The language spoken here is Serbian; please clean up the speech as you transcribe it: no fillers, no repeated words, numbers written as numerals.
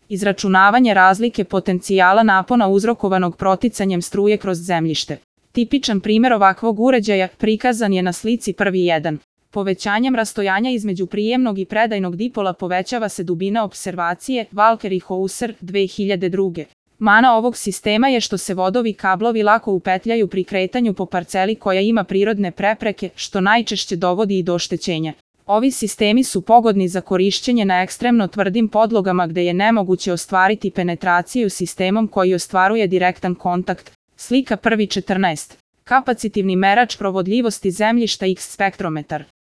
Izračunavanje razlike potencijala napona uzrokovanog proticanjem struje kroz zemljište. Tipičan primjer ovakvog uređaja prikazan je na slici 1.1. Povećanjem rastojanja između prijemnog i predajnog dipola povećava se dubina opservacije, Walker i Hauser, 2002. Mana ovog sistema je što se vodovi kablovi lako upetljaju pri kretanju po parceli koja ima prirodne prepreke, što najčešće dovodi i do oštećenja. Ovi sistemi su pogodni za korišćenje na ekstremno tvrdim podlogama gde je nemoguće ostvariti penetraciju sistemom koji ostvaruje direktan kontakt. Slika 1.14. Kapacitivni merač provodljivosti zemljišta X spektrometar.